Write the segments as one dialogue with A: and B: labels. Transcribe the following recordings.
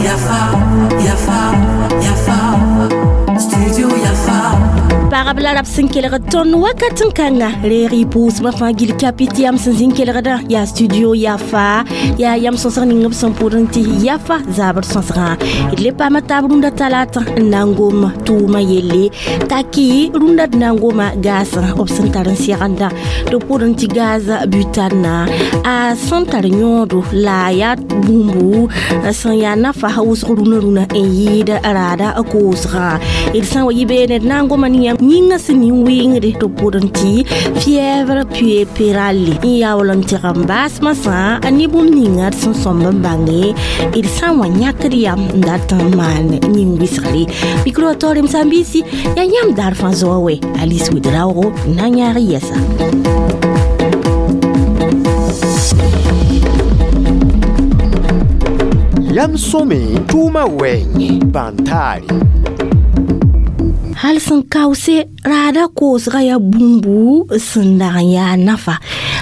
A: Yafa, Yafa, Yafa, Studio Yafa.
B: Pagb la rab sẽn kelg tõnd wakat n kãnga reeg y pʋʋsmã fãa gil kapit yam sẽn zĩn kelgdã yaa studio Yafa yaa yam sõsg ning b sẽn pʋdẽ tɩ Yafa zabr sõsgã d le paama taab rũndã talata n na n gom tʋʋmã yelle t'a kɩ rũndã d na n goma gaasã b sẽn tar n segenda tɩ pʋdẽ tɩ gaza butanna a sẽn tar yõodo la a yaa bũmbu sẽn yaa nafa wʋsg rũnã rũnã n yɩɩd raada koosgã d sã n wa yɩ beene d na n goma ne yãmb yĩngã sẽn nin-wɩngde tɩ pʋdẽ tɩ fièvre puerpérale n yaool n tɩg n baas masã ne bũmb ninga d sẽn sõmb n bãnge d sã n wa yãkd yam n dat n maan nin-wɩsgre mikro taoor m sãn-biisi yaa yãmb daar fãa zoa wɛ Alice Ouedraogo na n yãag yɛsa.
C: Yam sõme tʋʋmã wɛɛngẽ bãn-taare.
B: Hal sẽn kaoose raada koosga yaa bũmbu sẽn dag n yaa nafa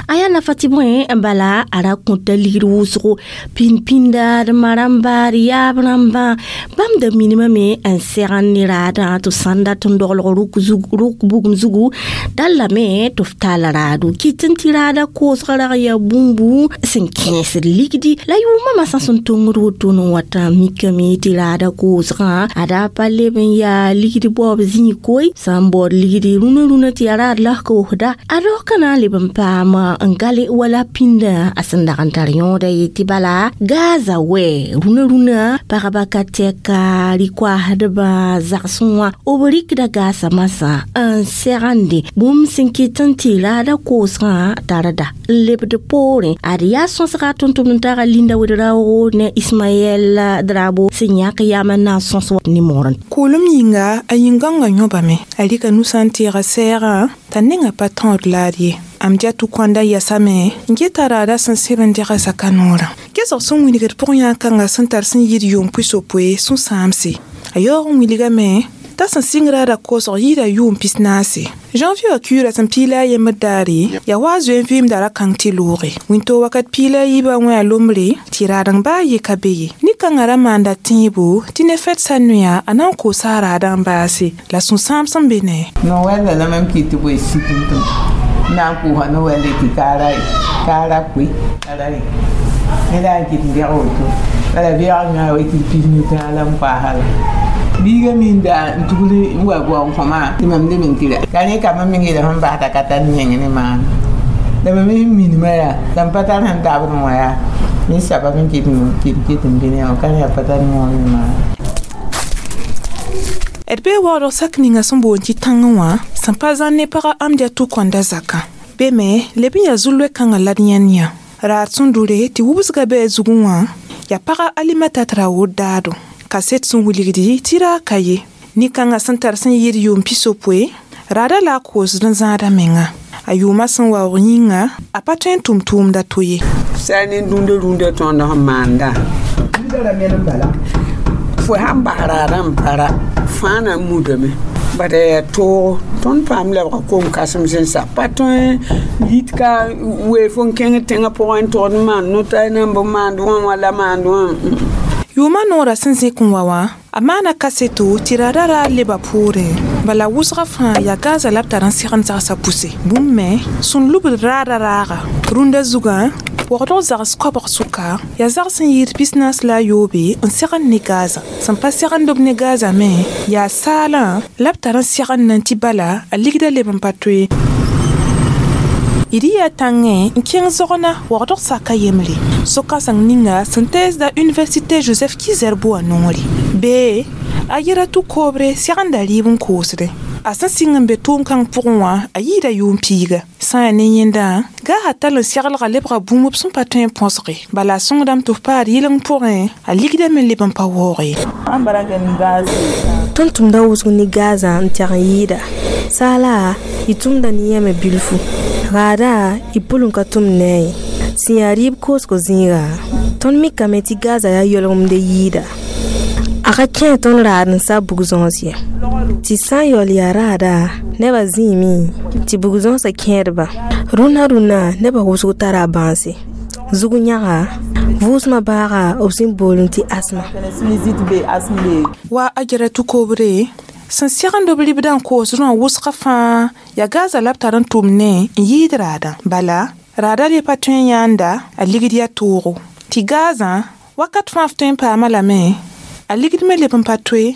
B: a yaa nafa tɩ bõe bala a ra kõta ligd wʋsgo pĩnd-pĩnda d ma rãmba d yaab rãmbã bãmb da minimame n segend ne raadã tɩ sãn dat n doglg rʋk bugum zugu dallame tɩ f tall raado kɩt n tɩ raada koosga rag yaa bũmbu sẽn kẽesd ligdi la yʋʋmã masã sẽn tongd woto n wata mikame tɩ raada koosgã a daa pa leb n yaa ligd baoob zĩig koe sã n baood ligdi rũnã rũnã tɩ yaa raad la koosda a rao ka na n leb n paam n gale wala pĩndã a sẽn dag n tar yõoda ye tɩ bala gaza wɛ rũnã rũnã pagba ka tɛka rɩ-koaasdbã zagsẽ wã b rɩkda gaasã masã n segende bũmb sẽn kɩt n tɩ raada koosgã tarda n lebd poorẽ ad yaa sõsga tʋm-tʋmd n taga Linda Ouedraogo ne Ismaɛl Drabo sẽn yãk yam n na n sõs nimorẽ.
D: Kʋʋlem yĩnga a yĩn-gãongã yõbame a rɩka nusã n teega sɛɛgã t'a nengã pa tõod laad ye am dia tʋ kõnda yɛsame n geta raada sẽn seb n dega zaka noorã gesg sẽn wilgd pʋg-yã-kãngã sẽn tar sẽn yɩɩd yʋʋm pʋɩ-sopoe sũ-sãamse a yaoog n wilgame t'a sẽn sɩng raada koosg yɩɩda yʋʋm pis-naase janvier wã kiuura sẽn piila a yembr daare yaa wa a zoe n vɩɩmda ra kãng tɩ looge wĩntoog wakat piila a yiibã wẽ a lombre tɩ raadeng baa ye ka be ye nin-kãngã ra maanda tẽebo tɩ ne fɛd sa noya a na n koosa a raadã n baase la sũ-sãam sẽn be ne
E: no-wɛlda la mam kɩt tɩ boe sik n tʋm na n kʋʋsa no-wɛlde tɩ kaara koe tara rẽ ne la n kɩt n bɛg woto bala bɛg yã wa tɩ pis nu-tãag la n paasa la biiga minda n tugl n wa bao n kõma tɩ mam leb n tɩ ka rẽ ka mam meng yeela sẽn basda ka tar meng ne maam la mam sẽn minimã yaa la m pa tar sẽn tabd wã yaa ne sabab n kɩt n bɩ ne wã ka rẽ yaa pa tar moon ne maam.
D: D bee waoodg sak ninga sẽn boond tɩ tãngẽ wã sẽn pa zãn ne pagã Amdia tʋ kõnda zakã be me leb n yaa zu-loe-kãngã la d yãnd yã raad sẽn dʋre tɩ wubsga bɩ a zugẽ wã yaa pagã Alimata Traoré daado kaset sẽn wilgdi tɩ raag ka ye nin-kãngã sẽn tar sẽn yɩɩd yʋʋm pis-yopoe raada la a koosd n zãada menga a yʋʋmã sẽn waoog yĩnga a pa tõe n tʋm tʋʋmda to ye
E: sã ne rũndã rũndã tõnd sẽn maanda fo sãn bas raadã n para fãa na n mudame bad yaa toogo tõnd paam lebga kom-kãsems n sa pa tõe yit ka wee fo n kẽng tẽngã pʋgẽ n togd n maan no-tay na n bɩ maand wã wã la maand wã.
D: Yʋʋmã noorã sẽn zẽk n wa wã a maana kaseto tɩ raada ra leba poorẽ bala wʋsgã fãa yaa gaza la b tar n segend zagsã pʋse bũmb me sẽn lubd raada raaga rũndã zugã waoogdg zags koabg sʋka yaa zags n yɩɩd pis-naas la a yoobe n segend ne gaza sẽn pa segend b ne gaza me yaa saalã la b tar n segend n tɩ bala a ligda leb n pa toe d yaa tãngẽ n kẽng zogna waoogdg saka yembre so-kãseng ninga sẽn teesda Université Joseph Ki-Zerbo wã noore bee a yɛra tʋ koobre segenda rɩɩb n koosdẽ a sẽn sɩng n be tʋʋm-kãng pʋgẽ wã a yɩɩda yʋʋm piiga sã n yaa ne yẽndã gaasã tall n seglga lebga bũmb b sẽn pa tõe n põsge bala a sõngdame tɩ f paad yɩleng pʋgẽ a ligdame leb n pa waoog ye.
F: Tõnd tʋmda wʋsg ne gaazã n tɛg n yɩɩda saala y tʋmda ne yãme bilfu raada y pʋlem ka tʋm ne a ye sẽn yaa rɩɩb koosgo zĩiga tõnd mikame tɩ gaza yaa yɔlgemde yɩɩda a ka kẽ tõnd raad n sa bug-zõos ye tɩ sã n yaool yaa raada nebã zĩime tɩ bug-zõosã kẽedba Rũnã rũnã nebã wʋsg tara a bãase. Zug yãga vʋʋsmã baaga b sẽn boolẽ tɩ asma.
D: Wa a gɛrɛ kobre sẽn segend b ribdã n koos rõa wʋsgã fãa yaa Gaza la b tar n tʋm ne n yɩɩd raadã. Bala raadã le pa tõe n yãanda a ligd yaa toogo. Tɩ Gazã wakat fãa f tõe n paama lame a ligd me leb n pa toe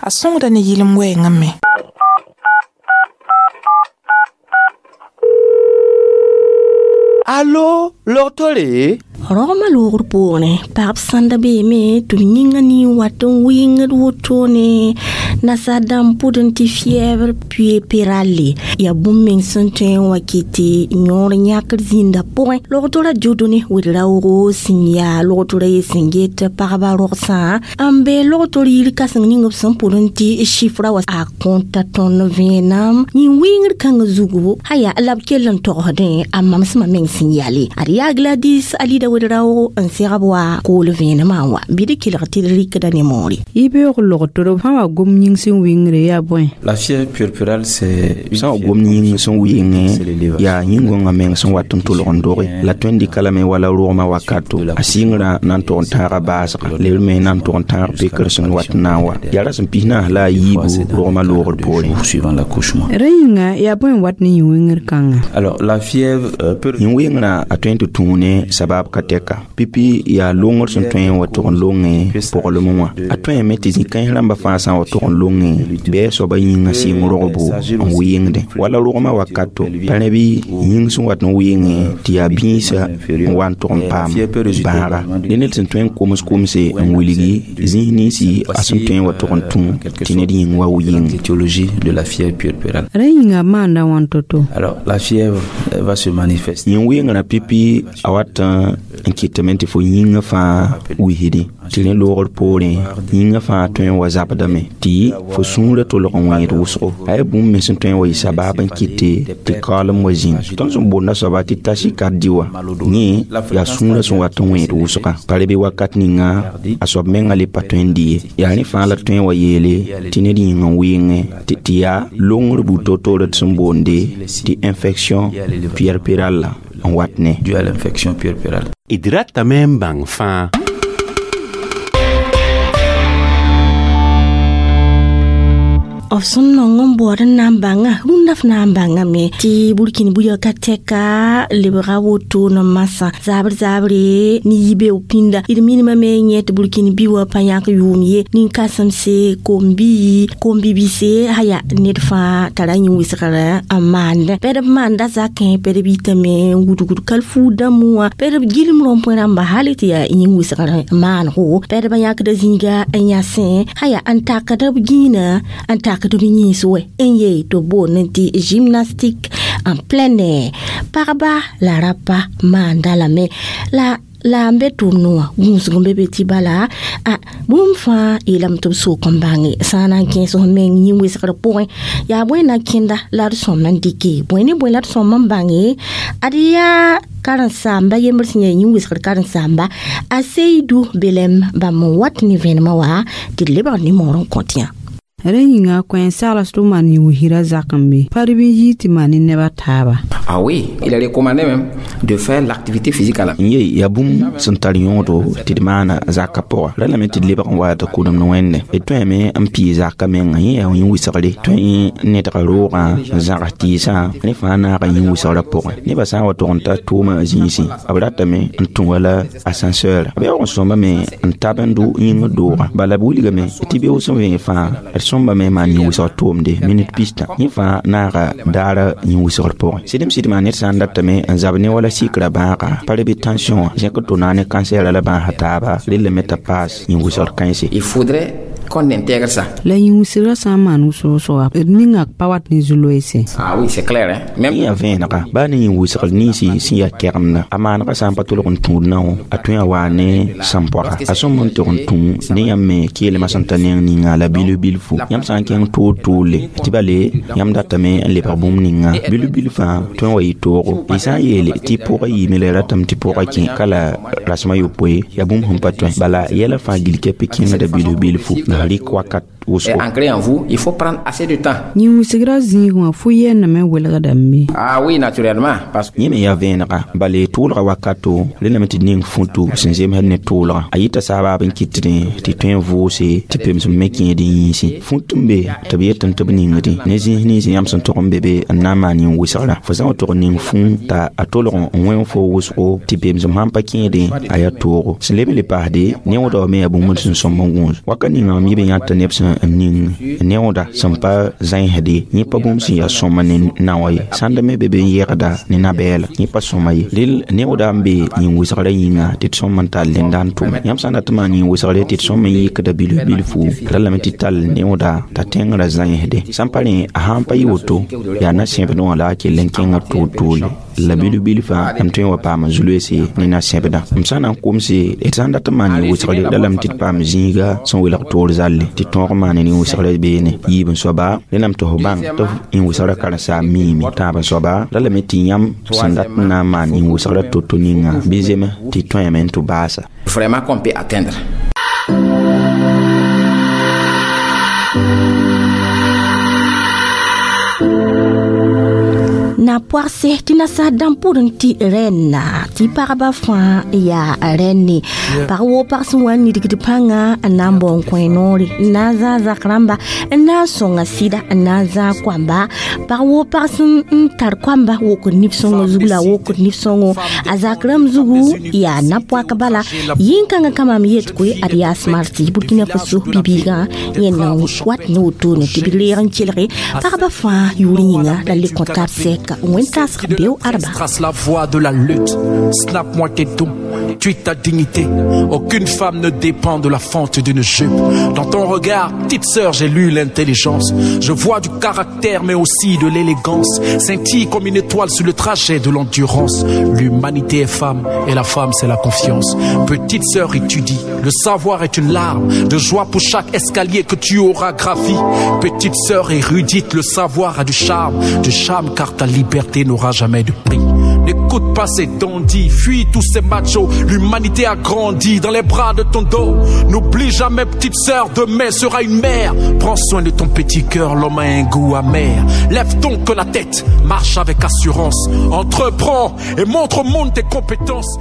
D: a sõngda ne yɩlem wɛɛngã me.
C: Allo, logtore?
B: Rogmã loogr pʋgẽ pagb sãnda beeme tɩ b yĩngã nin wat n wɩngd wotone nasaar dãmb pʋdẽ tɩ fièvre puerpérale yaa bũmb meng sẽn tõe n wa kɩt tɩ yõor yãkr zĩndã pʋgẽ. Logtora Dieudonné Ouédraogo sẽn yaa logtora ye sẽn get pagba rogsã n be logtor yir kãseng ning b sẽn pʋdẽ tɩ chifra wa a kõta tõnd vẽenam yĩn-wɩngr kãngã zugu aya la b kell n togsdẽ a mamsmã meng sẽn yale. Ad yaa Gladys Alida Ouédraogo n segb wa kool vẽenemã n wa bɩ d kelg tɩ d rɩkda ne moore.
G: Y beoog logtr sã wa gom yĩng sẽn wɩngre yaa bõe?
H: La fièvre puerpérale, c'est
I: sã wa gom yĩng sẽn wɩngẽ yaa yĩn-gõngã meng sẽn wat n tʋlg n doge la tõe n dɩka lame wala rogmã wakato a sɩngrã na n tʋg n tãaga baasga lebr me na n tʋg n tãag pekr sẽn wat n na n wa yaa ra sẽn pis naas la a yiibu rogmã loogr poorẽ.
H: Suivant l'accouchement.
G: Rẽ yĩnga yaa bõe n wat ne yĩn-wɩngr kãnga?
H: Alors la fièvre peut
I: yĩn-wɩngrã a tõe n tɩ tũu ne sabab ka tɛka pipi yaa longr sẽn tõe n wa tʋg n longẽ poglem wã a tõeme tɩ zĩ-kãens rãmbã fãa sã n wa tʋg n longẽ bɩ a soabã yĩngã sɩng rogbo n wɩngdẽ wala rogmã wakato pa rẽ bɩ yĩng sẽn wat n wɩngẽ tɩ yaa bĩisã n wa n tʋg n paam bãaga ne ned sẽn tõe n koms komse n wilgi zĩis ninsi a sẽn tõe n wa tʋg n tũ tɩ ned yĩng wa wɩng.
H: L'étiologie de la fièvre puerpérale.
G: Rẽ yĩnga maanda wãn to-to?
H: Alors la fièvre va se manifester.
I: Yĩn-wɩngrã pipi a wat n kɩtame tɩ fo yĩngã fãa wisdẽ tɩ rẽ loogr poorẽ yĩngã fãa tõe n wa zabdame tɩ fo sũurã tolg n wẽed wʋsgo a yaa bũmb me sẽn tõe n wa yɩ sabab n kɩte tɩ kaoolem wa zĩnd. Tõnd sẽn boonda soaba tɩ tachycardie wã yẽ yaa sũurã sẽn wat n wẽed wʋsga pa re bɩ wakat ninga a soab mengã le pa tõe n dɩ ye yaa rẽ fãa la tõe n wa yeele tɩ ned yĩng n wɩngẽ tɩ yaa longr buud to-toore d sẽn boonde tɩ infection puerpérale n wat ne.
H: Dû à l'infection puerpérale.
J: D ratame n bãng fãa.
B: B sẽn nong n baood n na n bãnga rũndã f na n bãngame tɩ burkini buya ka tɛka lebga woto n masã zabr zabre ne yibeoog pĩnda d minimame yẽ tɩ burkini bi wã pa yãk yʋʋm ye nin-kãsemse kom-bibise aya ned fãa tara yĩn-wɩsgr n maandẽ pɛd b maanda zakẽ pɛd b yitame n wudgd kalfuud dãmbẽ wã pɛd b gilem rõmpẽ rãmba hal tɩ yaa yĩn-wɩsgr maanego pɛd b yãkda zĩiga n yãsẽ aya n takd b gĩinã n tak b yĩns wɛ n yee tɩ b boond tɩ gymnastique en plein air pagba la rapa maanda lame la n be tʋʋmdẽ wã gũusg n be be tɩ bala a bũmb fãa yeelame tɩ b sok n bãnge sã n na n kẽes f meng yĩn-wɩsgr pʋgẽ yaa bõe na kẽnda la d sõm n dɩke bõe ne bõe la d sõm n bãnge ad yaa karen-saamba yembr sẽn yaa yĩn-wɩsgr karen-saamba a Seydou Belem bãmb n wat ne vẽenemã wa tɩ d lebg nimõor n kõt yã.
G: Rẽ yĩnga kõ sagls tɩ b maan yĩn-wisra zak n be pa d bɩ n yɩɩ tɩ maan ne neb a taaba.
K: Ah oui, il est recommandé même de faire l'activité physique à la
I: N ye yaa bũmb sẽn tar yõodo tɩ d maana zakã pʋga ra lame tɩ d lebg n wa tɩ kʋdemd wẽnde d tõeme n pii zakã menga yẽ yaa yĩn-wɩsgre tõe n nedga roogã n zãgs tɩɩsã rẽ fãa naaga yĩn-wɩsgrã pʋgẽ nebã sã n wa tʋg n ta tʋʋmã zĩisẽ b ratame n tũ wala ascenseur b yaoog n sõmbame n tab n dʋ yĩngr doogã bala b wilgame tɩ beoog sẽn vẽeg fãa d sõmbame n maan yĩn-wɩsgr tʋʋmde minit pistã yẽ fãa naaga daara yĩn-wɩsgr pʋgẽ sɩdem sɩdmã ned sã n datame n zab ne wala sikra bãaga pa re bɩ tension wã zẽk tɩ na ne cancer la bãasa taaba rellame t'a paas yĩn-wɩsgr kãense.
K: Il faudrait qu'on intègre ça.
G: La yĩn-wɩsgrã sã n maan wʋsg d ninga pa wat ne zu-loeese.
K: Ah oui, c'est clair, hein. Même
I: yẽ yaa vẽenega baa ne yĩn-wɩsgr ninsi sẽn yaa kɛgemda a maanegã sã n pa tʋlg n tũud nao a tõe a waa ne sãn-poaga a sõm n tʋg n tũ ne yãmb me keelmã sẽn ta neng ninga la bilf-bilfu yãmb sã n kẽng toor-toorle tɩ bale yãmb datame n lebg bũmb ninga bilf-bilfã tõe n wa yɩ toogo y sã n yeele tɩ pʋgã yiime la y ratame tɩ pʋgã kẽ ka la rasmã yopoe yaa bũmb sẽn pa tõe bala yɛla fãa gil kɛpɩ kẽngda bilf-bilfu la rɩk wakat. wʋsgo.
K: Ancrée en vous, il faut prendre assez de temps.
G: Yĩn-wɩsgrã zĩig wã fo yɛɛndame welgdame.
K: Ah oui, naturellement, parce que
I: Yẽ me yaa vẽenega bala tʋʋlga wakato rẽndame tɩ d ning futu sẽn zemsd ne tʋʋlga a yita sabaab n kɩtdẽ tɩ tõe n vʋʋse tɩ pemsem me kẽed n yĩnsẽ fut n be tɩ b yetẽ tɩ b ningdẽ ne zĩis nins yãmb sẽn tog n be be n na n maan yĩn-wɩsgrã fo sã n tog n ning fũ t'a a tolg n wẽ fo wʋsgo tɩ pemsem sãn pa kẽedẽ a yaa toogo sẽn leb n le paasde neoodã me yaa bũmb sẽn sõmb n gũus waka ninga mam yɩ b yãta neb sẽn n ning neooda sẽn pa zãensde yẽ pa bũmb sẽn yaa sõma ne naoã ye sãnd me be be n yegda ne na-bɛɛla yẽ pa sõma ye rel neooda n be yĩn-wɩsgrã yĩnga tɩ d sõm n tall dẽnda n tʋme yãmb sã n dat n maan yĩn-wɩsgre tɩ d sõm n yɩkda bilf bilfu ra lame tɩ tall neooda t'a tẽngrã zãensde sãn pa rẽ a sãn pa yɩ woto yaa na-sẽbdẽ wã la a kell n kẽngã toor-toorle la bilf bilfã m tõe n wa paam zu-loeese ne na-sẽbdã m sã n na n komse d sã n dat n maan yĩn-wɩsgre la lame tɩ d paam zĩiga sẽn welg toor zalle tɩ tõog maan yĩn-wɩsgrã beene yiib n soaba rẽndame tɩ f bãng tɩ yĩn-wɩsgrã karen-saam miime tãab n soaba la lame tɩ yãmb sẽn dat n na n maan yĩn-wɩsgrã to-to ninga bɩ zeme tɩ tõeme n tɩ baasa.
K: Vraiment qu'on peut atteindre.
B: Na poagse tɩ nasaar dãmb pʋrẽ tɩ rẽnna tɩ pagba fãa yaa rẽnne pag woo pag sẽn wa n nidgd pãnga n na n bao n kõ noore n na n zãag zak rãmba n na n sõnga sɩda n na n zãag koamba pag woo pag sẽn n tar koamba wokd nif-sõngã zug la wokd nif-sõngo a zak rãmb zugu yaa na-poak bala yĩn-kãngã ka mam yet koe ad yaa smarti Burkina Faso bi-biigã yẽ na n wat ne wotone tɩ b reeg n kelge pagba fãa yʋʋr yĩnga la le kõ tab sɛka.
L: Trace la voie de la lutte. Snap-moi tes dons, tweet ta dignité. Aucune femme ne dépend de la fente d'une jupe. Dans ton regard, petite sœur, j'ai lu l'intelligence. Je vois du caractère, mais aussi de l'élégance. Scintille comme une étoile sur le trajet de l'endurance. L'humanité est femme, et la femme, c'est la confiance. Petite sœur, étudie. Le savoir est une larme de joie pour chaque escalier que tu auras gravi. Petite sœur érudite, le savoir a du charme car ta liberté n'aura jamais de prix. N'écoute pas ces dandys, fuis tous ces machos. L'humanité a grandi dans les bras de ton dos. N'oublie jamais, petite sœur, demain sera une mère. Prends soin de ton petit cœur, l'homme a un goût amer. Lève donc la tête, marche avec assurance. Entreprends et montre au monde tes compétences.